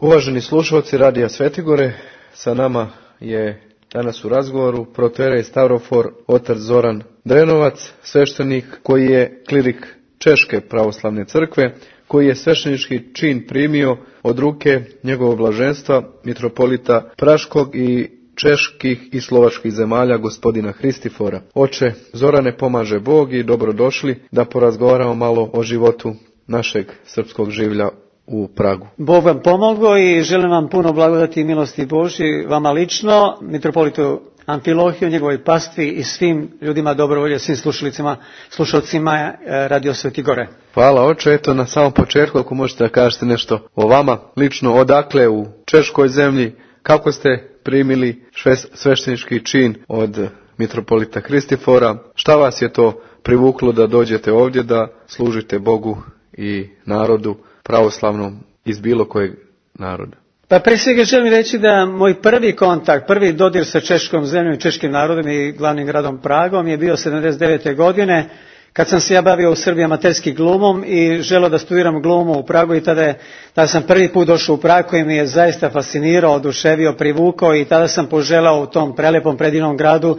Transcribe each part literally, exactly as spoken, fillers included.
Uvaženi slušalci Radija Svetigore, sa nama je danas u razgovoru protoijerej Stavrofor otac Zoran Drenovac, sveštenik koji je klirik Češke pravoslavne crkve, koji je sveštenički čin primio od ruke njegovog blaženstva mitropolita Praškog i čeških i slovačkih zemalja gospodina Hristifora. Oče Zorane, pomaže Bog i dobrodošli da porazgovaramo malo o životu našeg srpskog življa u Pragu. Bog vam pomogao i želim vam puno blagodati i milosti Božji, vama lično, mitropolitu Amfilohiju, njegovoj pastvi i svim ljudima dobrovolje, svim slušalicima, slušalcima Radio Svetigore. Hvala oče, eto na samom početku ako možete da kažete nešto o vama lično, odakle u češkoj zemlji, kako ste primili sveštenički čin od mitropolita Hristifora, šta vas je to privuklo da dođete ovdje da služite Bogu i narodu pravoslavnom iz bilo kojeg naroda? Pa pre svega želim reći da moj prvi kontakt, prvi dodir sa češkom zemljom i češkim narodom i glavnim gradom Pragom je bio sedamdeset devete godine, kad sam se ja bavio u Srbiji amaterski glumom i želeo da studiram glumu u Pragu i tada, je, tada sam prvi put došao u Prag koji mi je zaista fascinirao, oduševio, privukao i tada sam poželao u tom prelepom predivnom gradu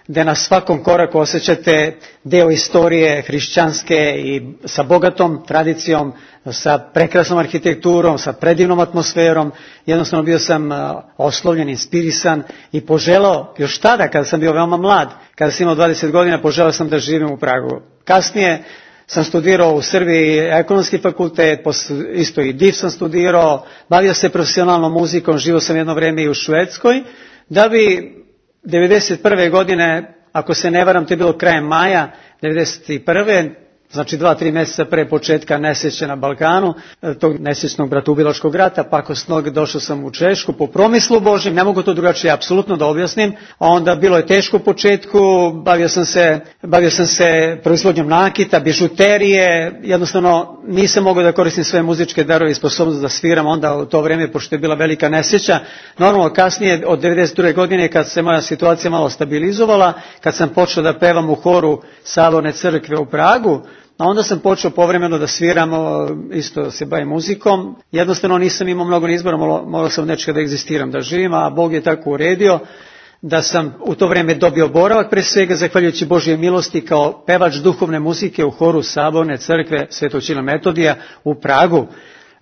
gde na svakom koraku osjećate deo istorije hrišćanske i sa bogatom tradicijom, sa prekrasnom arhitekturom, sa predivnom atmosferom. Jednostavno bio sam oslovljen, inspirisan i poželao, još tada kada sam bio veoma mlad, kada sam imao dvadeset godina, poželao sam da živim u Pragu. Kasnije sam studirao u Srbiji ekonomski fakultet, isto i D I F sam studirao, bavio se profesionalnom muzikom, živio sam jedno vreme i u Švedskoj, da bi devedeset prve godine, ako se ne varam, to je bilo krajem maja devedeset prve, znači dva, tri mjeseca pre početka nesreće na Balkanu, tog nesrećnog bratoubilačkog rata, pakosnog, došao sam u Češku po promislu Božjem, ne mogu to drugačije apsolutno da objasnim, a onda bilo je teško u početku, bavio sam se, bavio sam se proizvodnjom nakita, bižuterije, jednostavno nisam mogao da koristim sve muzičke darove i sposobnost da sviram onda u to vrijeme, pošto je bila velika nesreća. Normalno kasnije od devedeset druge godine kad se moja situacija malo stabilizovala, kad sam počeo da pevam u horu Saborne crkve u Pragu, a onda sam počeo povremeno da sviram, isto se bavim muzikom. Jednostavno nisam imao mnogo izbora, morao sam nečega da egzistiram, da živim, a Bog je tako uredio da sam u to vrijeme dobio boravak, pre svega zahvaljujući Božje milosti kao pevač duhovne muzike u horu Saborne crkve Svetog Ćila Metodija u Pragu.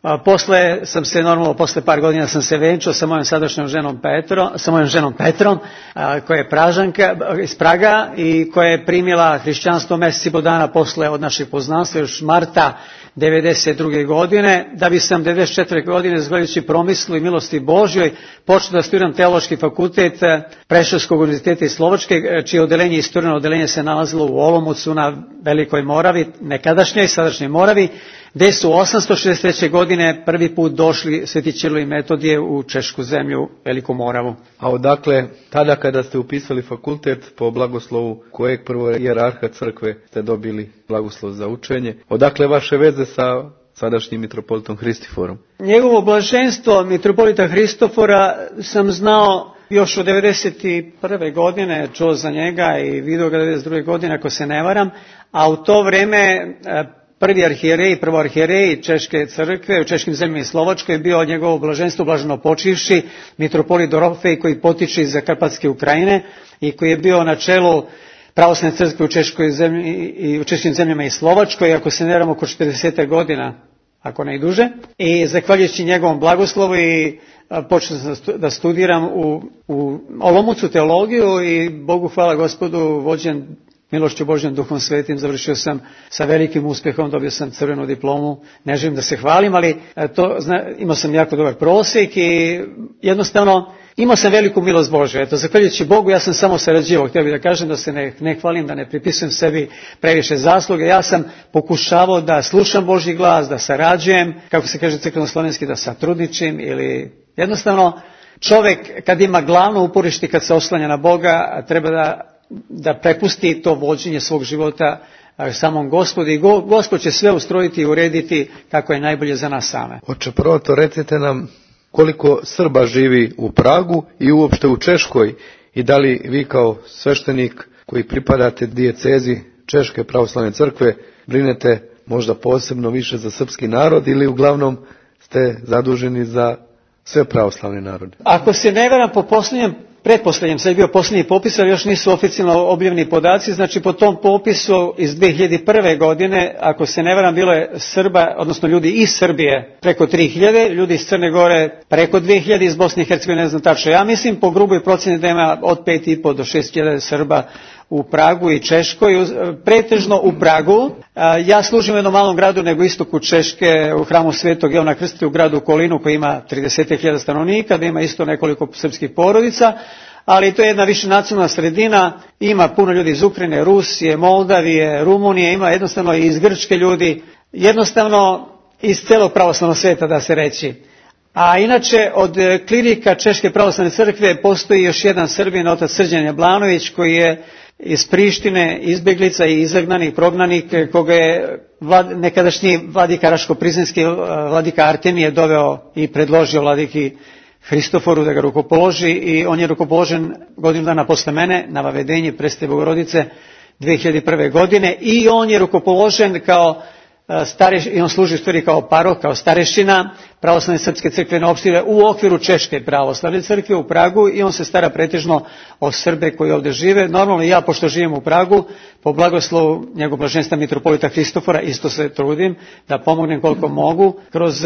A posle sam se normalno, posle par godina sam se venčao sa mojom sadašnjom ženom Petrom, sa mojom ženom Petrom, a, koja je Pražanka iz Praga i koja je primila hrišćanstvo mjesec i po dana posle od našeg poznanstva, još marta devedeset druge godine, da bi sam devedeset četvrte godine, zahvaljujući promislu i milosti Božjoj, počeo da studiram teološki fakultet Preševskog univerziteta iz Slovačke, čije odeljenje, istorno odeljenje se nalazilo u Olomoucu na Velikoj Moravi, nekadašnjoj i sadašnjoj Moravi, gde su osamsto šezdeset treće godine prvi put došli Sveti Ćirilo i Metodije u Češku zemlju, Veliku Moravu. A odakle, tada kada ste upisali fakultet, po blagoslovu kojeg prvo hijerarha crkve ste dobili blagoslov za učenje, odakle vaše veze sa sadašnjim mitropolitom Hristiforom? Njegovo blaženstvo mitropolita Hristofora sam znao još od devedeset prve godine, čuo za njega i vidio ga devedeset druge godine, ako se ne varam, a u to vreme prvi arhijerej, prvo arhijerej Češke crkve u češkim zemljama i Slovačkoj je bio njegovo blaženstvo blaženo počivši mitropolit Dorofej, koji potiče iz Karpatske Ukrajine i koji je bio na čelu pravoslavne crkve u Češkoj zemlji i u češkim zemljama i Slovačkoj, ako se ne varam oko četrdeset godina, ako ne i duže. I zahvaljujući njegovom blagoslovu i počeo sam da studiram u, u Olomoucu teologiju i Bogu hvala Gospodu, vođen milošću Božjom, Duhom Svetim, završio sam sa velikim uspjehom, dobio sam crvenu diplomu, ne želim da se hvalim, ali to, zna, imao sam jako dobar prosjek i jednostavno imao sam veliku milost Božju. Eto, zahvaljujući Bogu, ja sam samo sarađivao, htio bih da kažem da se ne, ne hvalim, da ne pripisujem sebi previše zasluge, ja sam pokušavao da slušam Božji glas, da sarađujem, kako se kaže crkveno-slovenski, da satrudničim ili jednostavno čovjek kad ima glavno uporište, kad se oslanja na Boga, treba da da prepusti to vođenje svog života samom Gospodu i go, Gospod će sve ustrojiti i urediti kako je najbolje za nas same. Oče, prvo to recite nam koliko Srba živi u Pragu i uopšte u Češkoj i da li vi kao sveštenik koji pripadate dijecezi Češke pravoslavne crkve brinete možda posebno više za srpski narod ili uglavnom ste zaduženi za sve pravoslavne narode? Ako se ne varam, po posljednjem, pretposljednjem, sad je bio posljednji popis, ali još nisu oficijalno objavljeni podaci, znači po tom popisu iz dvije hiljade prve. godine, ako se ne varam, bilo je Srba, odnosno ljudi iz Srbije preko tri hiljade, ljudi iz Crne Gore preko dvije hiljade, iz Bosne i Hercegovine ne znam tačno. Ja mislim po gruboj procjeni da ima od pet i po do šest hiljada Srba u Pragu i Češkoj, pretežno u Pragu. Ja služim u jednom malom gradu nego istoku Češke, u hramu Svetog Jovana Krstitelja u gradu Kolinu koji ima trideset hiljada stanovnika, da ima isto nekoliko srpskih porodica, ali to je jedna više nacionalna sredina, ima puno ljudi iz Ukrajine, Rusije, Moldavije, Rumunije, ima jednostavno i iz Grčke ljudi, jednostavno iz celog pravoslavnog sveta da se reći. A inače od klirika Češke pravoslavne crkve postoji još jedan Srbin, otac Srđan Jablanović, koji je iz Prištine izbjeglica i izagnanik, prognanik, koga je vlad, nekadašnji vladika Raško-Prizinski, vladika Artemije doveo i predložio vladiki Hristoforu da ga rukopoloži, i on je rukopoložen godinu dana posle mene na Vavedenji Presvete Bogorodice dvije hiljade prve. godine, i on je rukopoložen kao stareš, i on služi u stvari kao parok, kao starešina pravoslavne srpske crkvene opštine u okviru Češke pravoslavne crkve u Pragu, i on se stara pretežno o Srbe koji ovdje žive. Normalno ja, pošto živim u Pragu, po blagoslovu njegov blaženstva mitropolita Hristofora, isto se trudim da pomognem koliko mogu kroz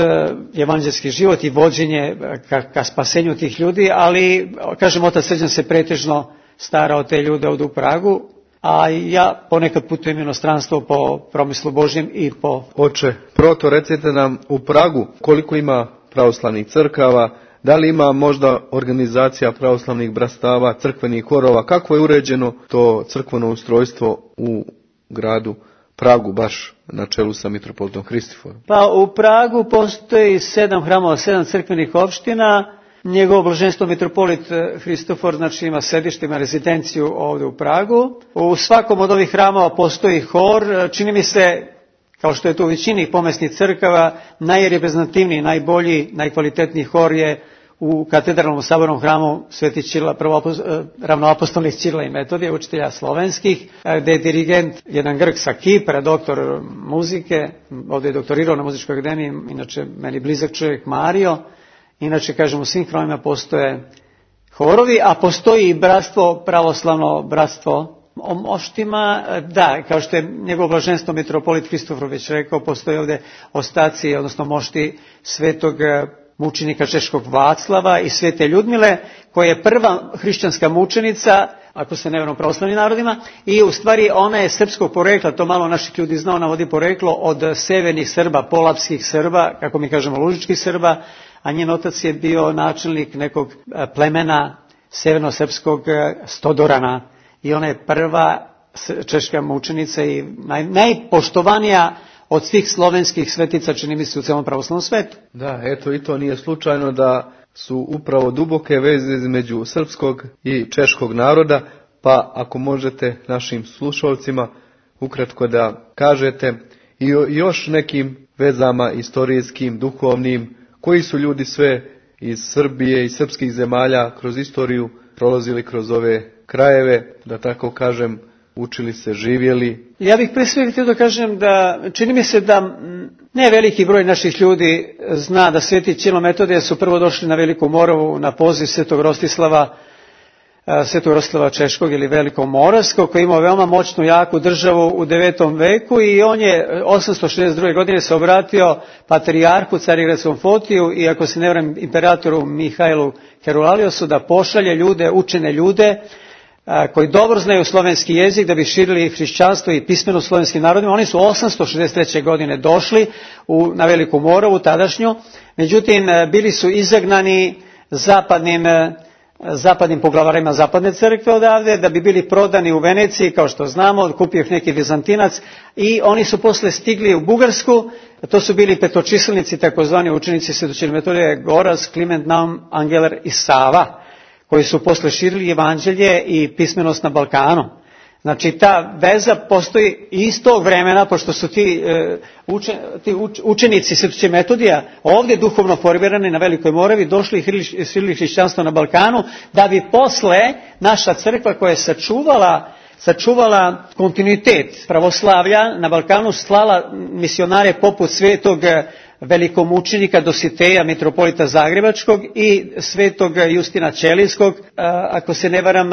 evanđelski život i vođenje ka, ka spasenju tih ljudi, ali kažem, otac Srđan se pretežno stara o te ljude ovdje u Pragu, a ja ponekad putujem inostranstvo po promislu Božjem i po... Oče, proto recite nam u Pragu koliko ima pravoslavnih crkava, da li ima možda organizacija pravoslavnih brastava, crkvenih horova, kako je uređeno to crkveno ustrojstvo u gradu Pragu, baš na čelu sa mitropolitom Hristoforom? Pa u Pragu postoji sedam hramova, sedam crkvenih opština. Njegovo blaženstvo mitropolit Hristofor znači ima sedište, ima rezidenciju ovdje u Pragu. U svakom od ovih hramova postoji hor. Čini mi se, kao što je to u većini pomesnih crkava, najreprezentativniji, najbolji, najkvalitetniji hor je u katedralnom sabornom hramu Sveti Ćirila, ravnoapostolnih Ćirila i Metodija, učitelja slovenskih, gdje je dirigent jedan Grk sa Kipra, doktor muzike, ovdje je doktorirao na muzičkoj akademiji, inače meni blizak čovjek, Mario. Inače, kažem, u svim hramima postoje horovi, a postoji i bratstvo, pravoslavno bratstvo o moštima. Da, kao što je njegovo blaženstvo mitropolit Hristofor već rekao, postoje ovdje ostaci, odnosno mošti svetog mučenika češkog Vaclava i svete Ljudmile, koja je prva hrišćanska mučenica, ako se ne varam, u pravoslavnim narodima, i u stvari ona je srpskog porekla, to malo naših ljudi zna, ona vodi poreklo od severnih Srba, polapskih Srba, kako mi kažemo lužičkih Srba, a njen otac je bio načelnik nekog plemena severno-srpskog Stodorana, i ona je prva češka mučenica i naj, najpoštovanija od svih slovenskih svetica, čini mi se, u celom pravoslavnom svetu. Da, eto, i to nije slučajno da su upravo duboke veze između srpskog i češkog naroda, pa ako možete našim slušalcima ukratko da kažete i o još nekim vezama istorijskim, duhovnim, koji su ljudi sve iz Srbije i srpskih zemalja kroz istoriju prolazili kroz ove krajeve, da tako kažem, učili se, živjeli. Ja bih pre svega htio da kažem da čini mi se da ne veliki broj naših ljudi zna da Sveti Ćirilo i Metodije su prvo došli na Veliku Moravu na poziv Svetog Rostislava, Svetog Rostislava Češkog ili Velikog Moravskog, koji je imao veoma moćnu, jaku državu u devetom veku, i on je osamsto šezdeset druge. godine se obratio patrijarhu Carigradskom Fotiju i, ako se ne varam, imperatoru Mihajlu Kerulaliosu da pošalje ljude, učene ljude koji dobro znaju slovenski jezik da bi širili hrišćanstvo i pismeno slovenskim narodima. Oni su osamsto šezdeset treće. godine došli u, na Veliku Moravu tadašnju, međutim bili su izagnani zapadnim zapadnim poglavarima zapadne crkve odavde, da bi bili prodani u Veneciji, kao što znamo, kupio ih neki Vizantinac, i oni su posle stigli u Bugarsku. To su bili petočiselnici, takozvani učenici Svetog Ćirila i Metodija, Goraz, Kliment, Naum, Angeler i Sava, koji su posle širili evanđelje i pismenost na Balkanu. Znači, ta veza postoji iz tog vremena, pošto su ti, e, učen, ti uč, učenici Svetog Ćirila i Metodija ovdje duhovno formirani na Velikoj Moravi, došli i širili hrišćanstvo na Balkanu, da bi posle naša crkva, koja je sačuvala, sačuvala kontinuitet pravoslavlja na Balkanu, slala misionare poput svetog velikomučenika Dositeja, mitropolita Zagrebačkog, i svetog Justina Ćelijskog. Ako se ne varam,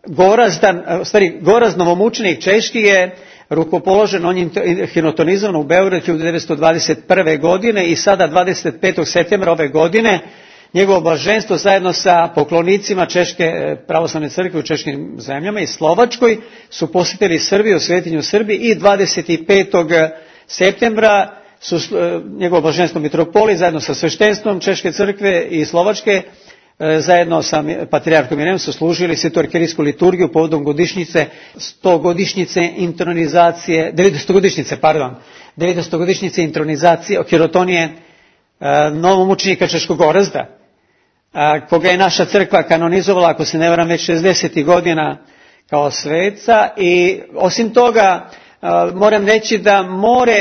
Gorazdan, u stvari Gorazd novomučenik češki je rukopoložen, on je hinotonizovan u Beogradu hiljadu devetsto dvadeset prve. godine i sada dvadeset petog septembra ove godine njegovo blaženstvo zajedno sa poklonicima Češke pravoslavne crkve u češkim zemljama i Slovačkoj su posjetili Srbiju, svetinju Srbiji, i dvadeset petog septembra su njegovo blaženstvo mitropolit zajedno sa sveštenstvom Češke crkve i Slovačke zajedno sa patrijarhom Irenom su služili svetu arhijerejsku liturgiju povodom godišnjice, stogodišnjice intronizacije, devetstogodišnjice, pardon, devetstogodišnjice intronizacije hirotonije novomučenika Češkog Gorazda, koga je naša crkva kanonizovala, ako se ne varam, već šezdesetih godina kao sveca. I osim toga moram reći da more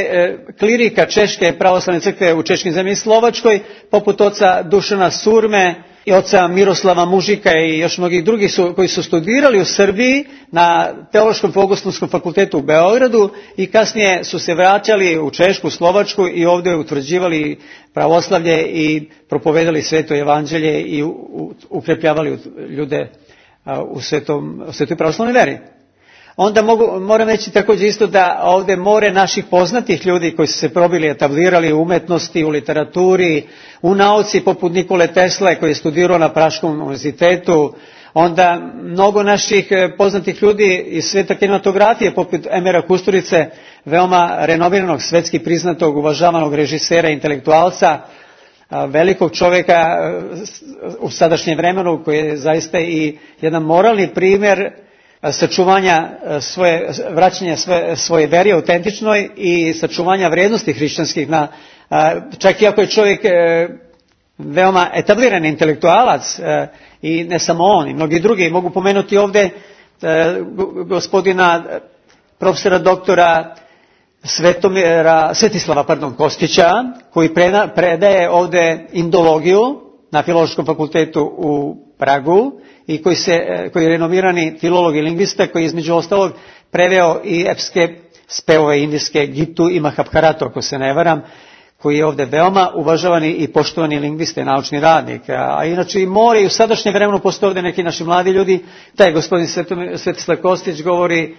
klirika Češke pravoslavne crkve u češkim zemljama i Slovačkoj, poput oca Dušana Surme i oca Miroslava Mužika i još mnogih drugih su, koji su studirali u Srbiji na Teološkom Bogoslovskom fakultetu u Beogradu i kasnije su se vraćali u Češku, Slovačku i ovdje utvrđivali pravoslavlje i propovedali sveto evanđelje i ukrepljavali ljude u svetom, u svetoj pravoslavnoj veri. Onda mogu, moram reći također isto da ovdje more naših poznatih ljudi koji su se probili, etablirali u umetnosti, u literaturi, u nauci, poput Nikole Tesle koji je studirao na Praškom univerzitetu, onda mnogo naših poznatih ljudi iz sveta kinematografije, poput Emira Kusturice, veoma renomiranog, svetski priznatog, uvažavanog režisera, intelektualca, velikog čovjeka u sadašnjem vremenu, koji je zaista i jedan moralni primjer sačuvanja svoje, vraćanja svoje, svoje veri autentičnoj i sačuvanja vrijednosti hrišćanskih, na, čak i ako je čovjek veoma etabliran intelektualac, i ne samo on, i mnogi drugi. Mogu pomenuti ovdje gospodina profesora doktora Svetomira, Svetislava pardon, Kostića, koji preda, predaje ovdje indologiju na Filološkom fakultetu u Pragu i koji, se, koji je renomirani filolog i lingvista, koji je između ostalog preveo i epske spevove indijske Gitu i Mahabharatu, ako se ne varam, koji je ovdje veoma uvažavani i poštovani lingvista i naučni radnik. A inače i more, i u sadašnjem vremenu postoje ovdje neki naši mladi ljudi. Taj gospodin Svetislav Kostić govori,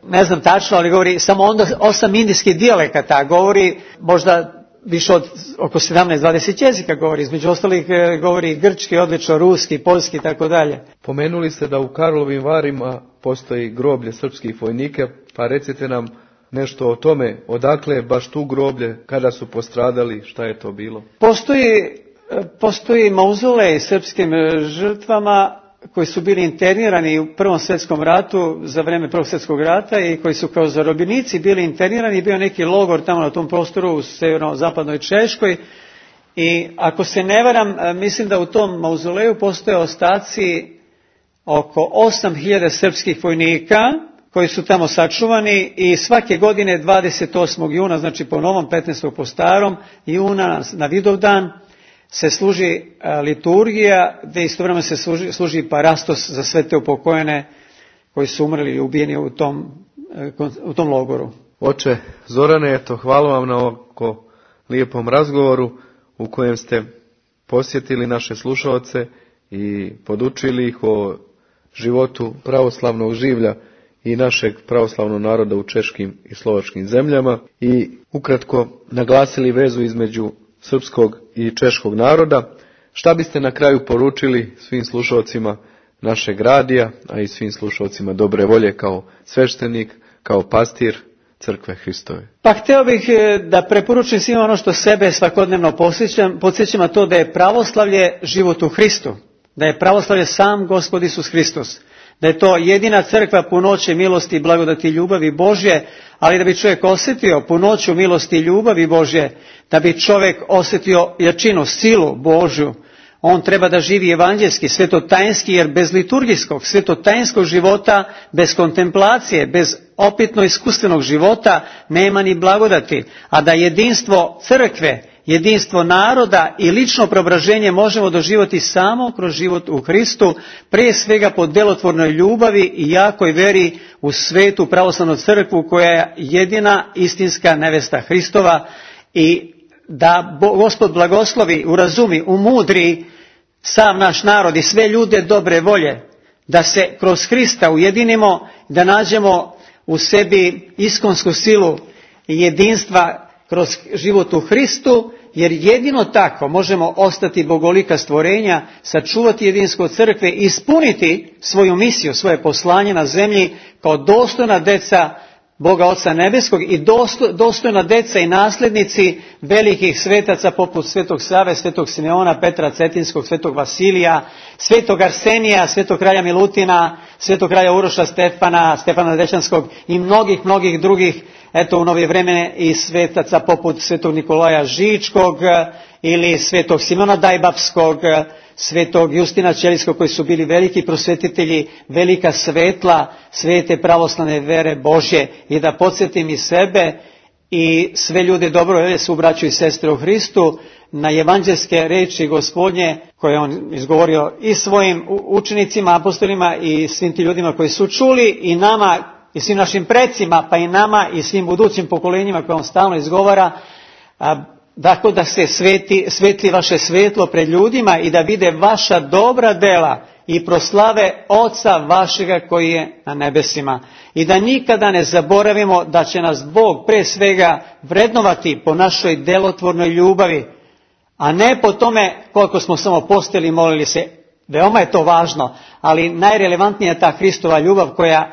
ne znam tačno, ali govori samo onda osam indijskih dijalekata, govori možda više od oko sedamnaest dvadeset jezika govori, između ostalih govori grčki, odlično ruski, poljski i tako dalje. Pomenuli ste da u Karlovim Varima postoji groblje srpskih vojnika, pa recite nam nešto o tome, odakle je baš tu groblje, kada su postradali, šta je to bilo? Postoji, postoji mauzolej srpskim žrtvama koji su bili internirani u Prvom svjetskom ratu, za vrijeme Prvog svjetskog rata, i koji su kao zarobljenici bili internirani. Bio neki logor tamo na tom prostoru u severno-zapadnoj Češkoj, i ako se ne varam, mislim da u tom mauzoleju postoje ostaci oko osam hiljada srpskih vojnika koji su tamo sačuvani, i svake godine dvadeset osmog juna, znači po novom, petnaestog po starom, juna na Vidovdan, se služi liturgija, gdje istovremeno se služi, služi parastos za sve te upokojene koji su umrli i ubijeni u tom, u tom logoru. Oče Zorane, eto, hvala vam na ovako lijepom razgovoru u kojem ste posjetili naše slušaoce i podučili ih o životu pravoslavnog življa i našeg pravoslavnog naroda u češkim i slovačkim zemljama, i ukratko naglasili vezu između srpskog i češkog naroda. Šta biste na kraju poručili svim slušalcima našeg radija, a i svim slušalcima dobre volje kao sveštenik, kao pastir Crkve Hristove? Pa htio bih da preporučim svima ono što sebe svakodnevno podsjećam, podsjećam a to da je pravoslavlje život u Hristu, da je pravoslavlje sam Gospod Isus Hristos, da je to jedina crkva punoće milosti, blagodati i ljubavi Božje, ali da bi čovjek osjetio punoću milosti i ljubavi Božje, da bi čovjek osjetio jačinu, silu Božju, on treba da živi evanđelski, svetotajnski, jer bez liturgijskog, svetotajnskog života, bez kontemplacije, bez opitno iskustvenog života nema ni blagodati, a da jedinstvo crkve, jedinstvo naroda i lično preobraženje možemo doživjeti samo kroz život u Hristu, prije svega po djelotvornoj ljubavi i jakoj veri u svetu pravoslavnu crkvu, koja je jedina istinska nevesta Hristova, i da Gospod blagoslovi, urazumi, umudri sav naš narod i sve ljude dobre volje, da se kroz Hrista ujedinimo, da nađemo u sebi iskonsku silu i jedinstva kroz život u Hristu, jer jedino tako možemo ostati bogolika stvorenja, sačuvati jedinstvo crkve i ispuniti svoju misiju, svoje poslanje na zemlji kao dostojna deca Boga Oca Nebeskog i dostojna deca i nasljednici velikih svetaca poput Svetog Save, Svetog Simeona, Petra Cetinskog, Svetog Vasilija, Svetog Arsenija, Svetog kralja Milutina, Svetog kralja Uroša Stefana, Stefana Dešanskog i mnogih, mnogih drugih, eto u novije vremene i svetaca poput Svetog Nikolaja Žičkog ili Svetog Simona Dajbapskog, Svetog Justina Ćelijskog, koji su bili veliki prosvetitelji, velika svetla svete pravoslavne vere Božje, i da podsjetim i sebe i sve ljude dobro su braćo i sestre u Hristu na evanđelske reči Gospodnje koje on izgovorio i svojim učenicima, apostolima i svim ti ljudima koji su čuli, i nama i svim našim precima, pa i nama i svim budućim pokolenjima koje on stalno izgovara. Dakle, da se sveti, svetli vaše svetlo pred ljudima i da vide vaša dobra dela i proslave Oca vašega koji je na nebesima. I da nikada ne zaboravimo da će nas Bog pre svega vrednovati po našoj delotvornoj ljubavi, a ne po tome koliko smo samo postili i molili se. Veoma je to važno, ali najrelevantnija je ta Hristova ljubav koja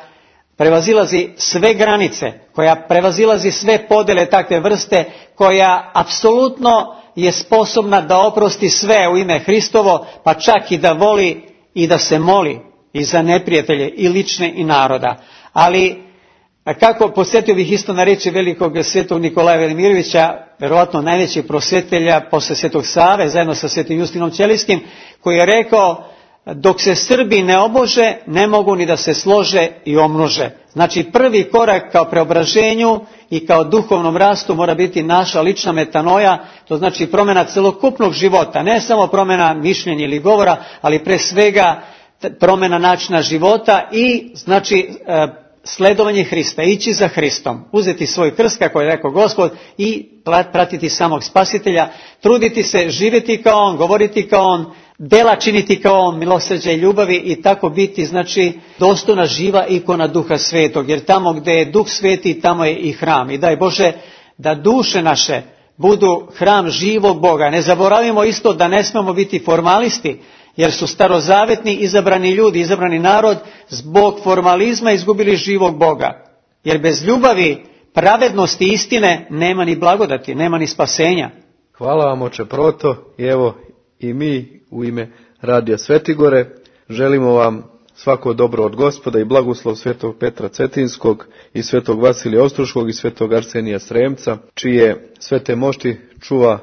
prevazilazi sve granice, koja prevazilazi sve podele takve vrste, koja apsolutno je sposobna da oprosti sve u ime Hristovo, pa čak i da voli i da se moli i za neprijatelje i lične i naroda. Ali kako, podsjetio bih isto na reči velikog svetog Nikolaja Velimirovića, verovatno najvećeg prosvetelja posle Svetog Save, zajedno sa svetim Justinom Ćelijskim, koji je rekao: dok se Srbi ne obože, ne mogu ni da se slože i omnože. Znači, prvi korak kao preobraženju i kao duhovnom rastu mora biti naša lična metanoja, to znači promjena celokupnog života, ne samo promjena mišljenja ili govora, ali pre svega promjena načina života i znači sledovanje Hrista, ići za Hristom, uzeti svoj krst, kako je rekao Gospod, i pratiti samog Spasitelja, truditi se, živjeti kao on, govoriti kao on, dela činiti kao on, milosrđa i ljubavi, i tako biti, znači, dostojna živa ikona Duha Svetog, jer tamo gdje je Duh Sveti, tamo je i hram. I daj Bože da duše naše budu hram živog Boga. Ne zaboravimo isto da ne smemo biti formalisti, jer su starozavetni izabrani ljudi, izabrani narod zbog formalizma izgubili živog Boga. Jer bez ljubavi, pravednosti i istine nema ni blagodati, nema ni spasenja. Hvala vam, oče Proto, i evo i mi u ime Radija Svetigore želimo vam svako dobro od Gospoda i blagoslov svetog Petra Cetinskog i svetog Vasilija Ostroškog i svetog Arsenija Sremca, čije svete mošti čuva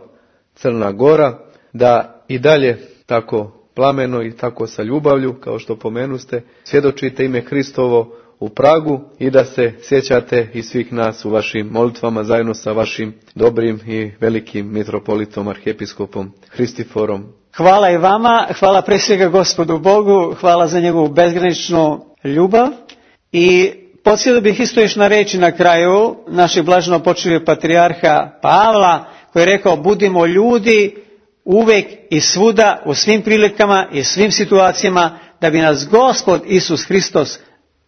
Crna Gora, da i dalje tako plameno i tako sa ljubavlju, kao što pomenuste, svjedočite ime Hristovo u Pragu i da se sjećate i svih nas u vašim molitvama zajedno sa vašim dobrim i velikim mitropolitom, arhijepiskopom Hristiforom. Hvala i vama, hvala pre svega Gospodu Bogu, hvala za njegovu bezgraničnu ljubav, i podsjetio bih isto još na reči na kraju našeg blaženo počivog patrijarha Pavla, koji je rekao: budimo ljudi uvek i svuda, u svim prilikama i svim situacijama, da bi nas Gospod Isus Hristos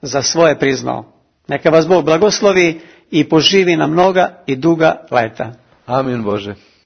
za svoje priznao. Neka vas Bog blagoslovi i poživi na mnoga i duga leta. Amin Bože.